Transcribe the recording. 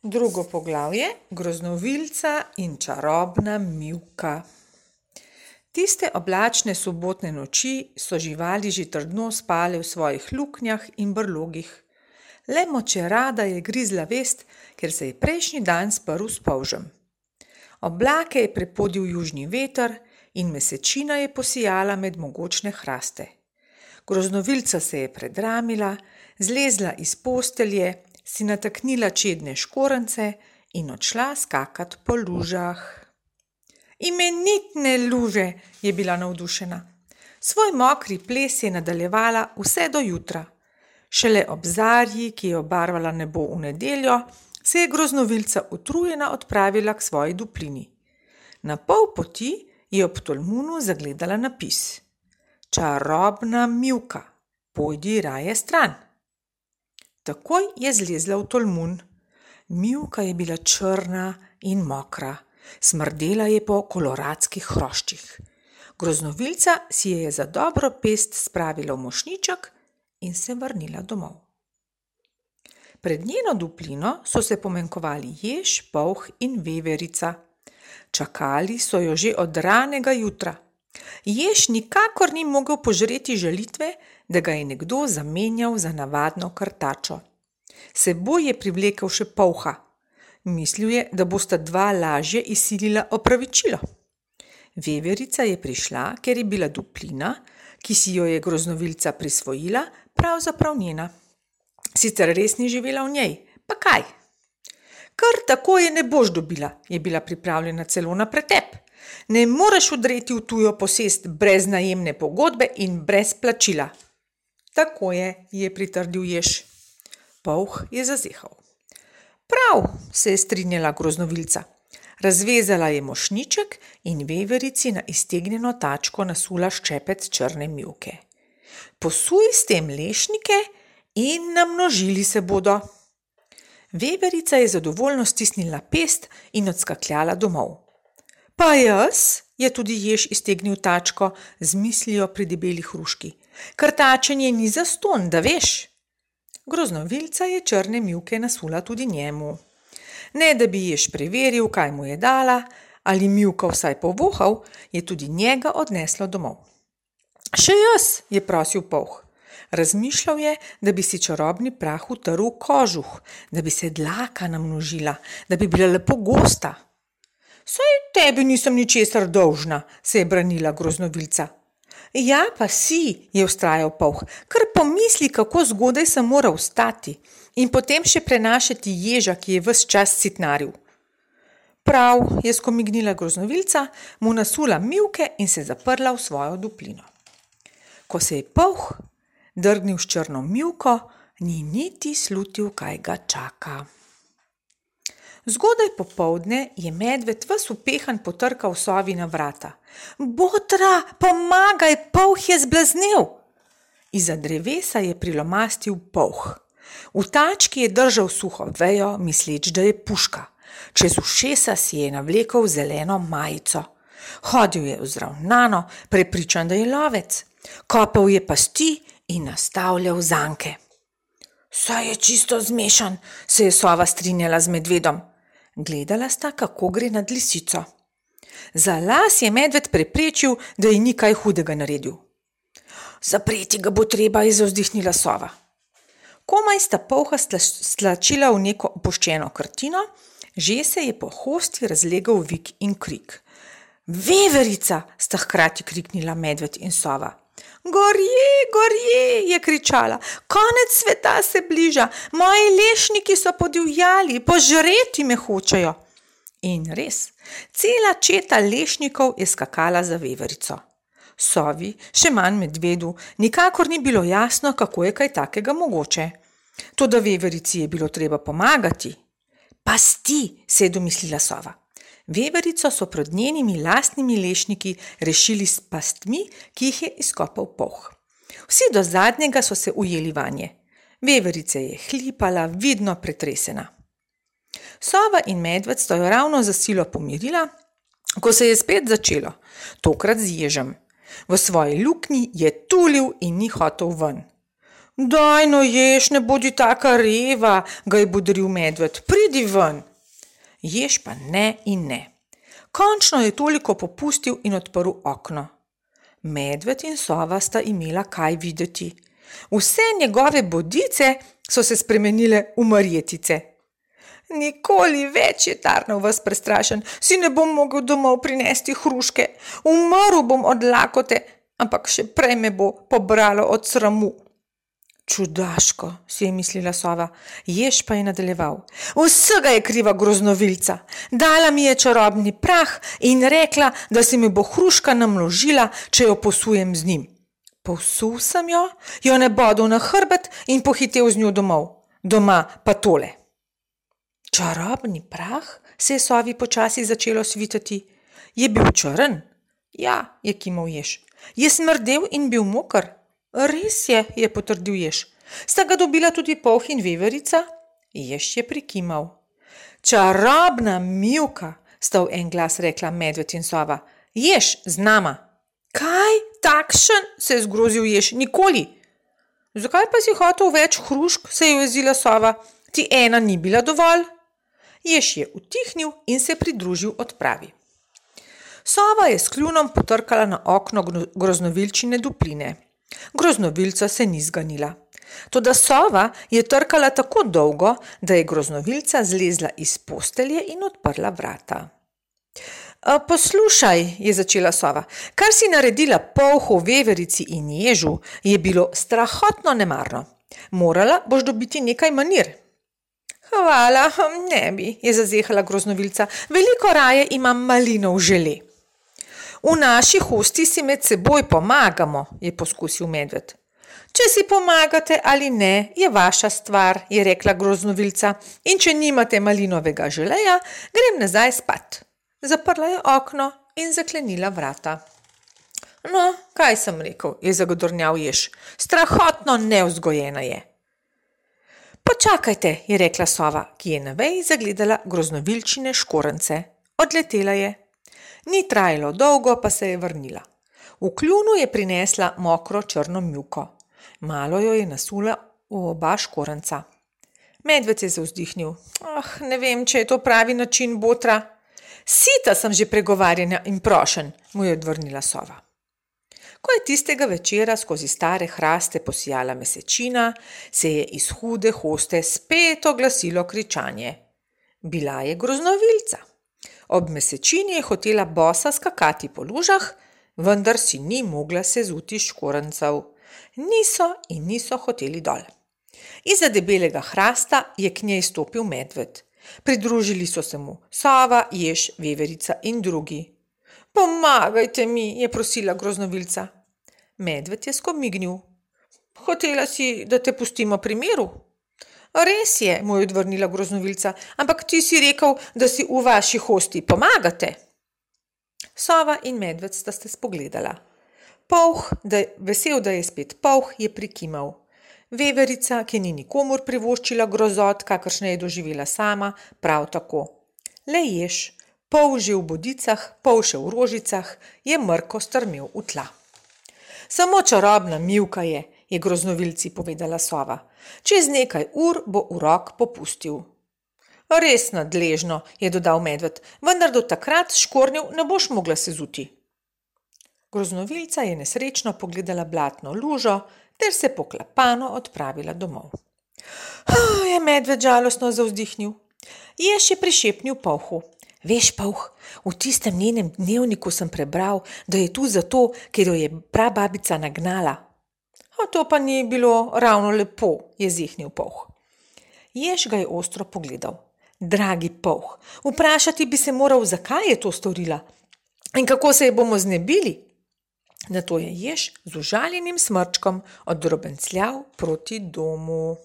Drugo poglavje, groznovilca in čarobna mivka. Tiste oblačne sobotne noči so živali že trdno spale v svojih luknjah in brlogih. Le močerada je grizla vest, ker se je prejšnji dan sprl s polžem. Oblake je prepodil južni veter in mesečina je posijala med mogočne hraste. Groznovilca se je predramila, zlezla iz postelje, si nataknila čedne škorance in odšla skakat po lužah. Imenitne luže, je bila navdušena. Svoj mokri ples je nadaljevala vse do jutra. Šele ob zarji, ki je obarvala nebo v nedeljo, se je groznovilca utrujena odpravila k svoji duplini. Na pol poti je ob tolmunu zagledala napis: Čarobna mivka, pojdi raje stran. Takoj je zlezla v tolmun. Mivka je bila črna in mokra, smrdela je po koloradskih hroščih. Groznovilca si je za dobro pest spravila v mošnjiček in se vrnila domov. Pred njeno duplino so se pomenkovali jež, polh in veverica. Čakali so jo že od ranega jutra. Jež nikakor ni mogel požreti žalitve, da ga je nekdo zamenjal za navadno krtačo. Seboj je privlekel še polha. Mislil je, da bosta dva lažje izsilila opravičilo. Veverica je prišla, ker je bila duplina, ki si jo je groznovilca prisvojila, pravzaprav njena. Sicer res ni živela v njej, pa kaj? Kar tako je ne boš dobila, je bila pripravljena celo na pretep. Ne moreš vdreti v tujo posest brez najemne pogodbe in brez plačila. Tako je pritrdil jež. Polh je zazehal. Prav, se je strinjala groznovilca. Razvezala je mošnjiček in veverici na iztegnjeno tačko nasula ščepec črne mivke. Posuj s tem lešnike in namnožili se bodo. Veverica je zadovoljno stisnila pest in odskakljala domov. Pa jaz, je tudi jež iztegnil tačko z mislijo pri debeli hruški. Krtačenje ni zastonj, da veš. Groznovilca je črne mivke nasula tudi njemu. Ne da bi jež preveril, kaj mu je dala, ali mivka vsaj povohal, je tudi njega odneslo domov. Še jaz, je prosil polh. Razmišljal je, da bi si čarobni prah utrl kožuh, da bi se dlaka namnožila, da bi bila lepo gosta. Saj tebi nisem ničesar dolžna, se je branila groznovilca. Ja, pa si, je vztrajal polh, kar pomisli, kako zgodaj sem moral vstati in potem še prenašati ježa, ki je ves čas sitnaril. Prav, je skomignila groznovilca, mu nasula mivke in se zaprla v svojo duplino. Ko se je polh drgnil s črno mivko, ni niti slutil, kaj ga čaka. Zgodaj popoldne je medved ves upehan potrkal sovi na vrata. Botra, pomagaj, polh je zblaznel! Izza drevesa je prilomastil polh. V tački je držal suho vejo, misleč, da je puška. Čez ušesa si je navlekel zeleno majico. Hodil je vzravnano, prepričan, da je lovec. Kopal je pasti in nastavljal zanke. Saj je čisto zmešan, se je sova strinjala z medvedom. Gledala sta, kako gre nad lisico. Za las je medved preprečil, da ji ni kaj hudega naredil. Zapreti ga bo treba, je zavzdihnila sova. Komaj sta polha stlačila v neko opuščeno krtino, že se je po hosti razlegal vik in krik. Veverica, sta hkrati kriknila medved in sova. Gorje, gorje, je kričala, konec sveta se bliža, moji lešniki so podivjali, požreti me hočejo. In res, cela četa lešnikov je skakala za veverico. Sovi, še manj medvedu, nikakor ni bilo jasno, kako je kaj takega mogoče. Toda veverici je bilo treba pomagati. Pasti, se je domislila sova. Veverico so pred njenimi lastnimi lešniki rešili s pastmi, ki jih je izkopal polh. Vsi do zadnjega so se ujeli vanje. Veverica je hlipala, vidno pretresena. Sova in medved sta jo ravno za silo pomirila, ko se je spet začelo, tokrat z ježem. V svoji luknji je tulil in ni hotel ven. Daj no jež, ne bodi taka reva, ga je bodril medved, pridi ven. Jež pa ne in ne. Končno je toliko popustil in odprl okno. Medved in sova sta imela kaj videti. Vse njegove bodice so se spremenile v marjetice. Nikoli več, je tarnal ves prestrašen, si ne bom mogel domov prinesti hruške, umrl bom od lakote, ampak še prej me bo pobralo od sramu. Čudaško, si je mislila sova, jež pa je nadaljeval. Vsega je kriva groznovilca. Dala mi je čarobni prah in rekla, da se mi bo hruška namnožila, če jo posujem z njim. Posul sem jo nebodel na hrbet in pohitel z njo domov. Doma pa tole. Čarobni prah, se je sovi počasi začelo svitati. Je bil črn? Ja, je kimal jež. Je smrdel in bil moker? Res je potrdil jež. Sta ga dobila tudi polh in veverica? Jež je prikimal. Čarobna Mivka, sta v en glas rekla medved in sova. Jež z nama. Kaj? Takšen? Se je zgrozil jež. Nikoli. Zakaj pa si hotel več hrušk, se je jezila sova. Ti ena ni bila dovolj? Jež je utihnil in se pridružil odpravi. Sova je s kljunom potrkala na okno groznovilčine dupline. Groznovilca se ni zganila. Toda sova je trkala tako dolgo, da je groznovilca zlezla iz postelje in odprla vrata. Poslušaj, je začela sova, kar si naredila polhu, veverici in ježu, je bilo strahotno nemarno. Morala boš dobiti nekaj manir. Hvala, ne bi, je zazehala groznovilca, veliko raje imam malinov žele. V naši hosti si med seboj pomagamo, je poskusil medved. Če si pomagate ali ne, je vaša stvar, je rekla groznovilca, in če nimate malinovega želeja, grem nazaj spat. Zaprla je okno in zaklenila vrata. No, kaj sem rekel, je zagodornjal jež, strahotno nevzgojena je. Počakajte, je rekla sova, ki je na veji zagledala groznovilčine škorence. Odletela je. Ni trajalo dolgo, pa se je vrnila. V kljunu je prinesla mokro črno mivko. Malo jo je nasula v oba škorenca. Medved je zavzdihnil. Ne vem, če je to pravi način botra. Sita sem že pregovarjanja in prošen, mu je odvrnila sova. Ko je tistega večera skozi stare hraste posijala mesečina, se je iz hude hoste spet oglasilo kričanje. Bila je groznovilca. Ob mesečini je hotela bosa skakati po lužah, vendar si ni mogla sezuti škorencev. Niso hoteli dol. Izza debelega hrasta je k njej stopil medved. Pridružili so se mu sova, jež, veverica in drugi. Pomagajte mi, je prosila groznovilca. Medved je skomignil. Hotela si, da te pustimo pri miru? Res je, mu je odvrnila groznovilca, ampak ti si rekel, da si v vaši hosti pomagate. Sova in medved sta se spogledala. Polh, vesel, da je spet polh, je prikimal. Veverica, ki ni nikomur privoščila grozot, kakršne je doživela sama, prav tako. Le jež, pol že v bodicah, pol še v rožicah, je mrko strmel v tla. Samo čarobna Mivka je groznovilci povedala sova. Čez nekaj ur bo urok popustil. Res nadležno, je dodal medved, vendar do takrat škornjev ne boš mogla sezuti. Groznovilca je nesrečno pogledala blatno lužo ter se poklapano odpravila domov. Je medved žalostno zavzdihnil. Jež je prišepnil polhu. Veš, polh, v tistem njenem dnevniku sem prebral, da je tu zato, ker jo je prababica nagnala. A to pa ni bilo ravno lepo, je zihnil polh. Jež ga je ostro pogledal. Dragi polh, vprašati bi se moral, zakaj je to storila in kako se je bomo znebili. Nato je jež z užaljenim smrčkom oddrobencljal proti domu.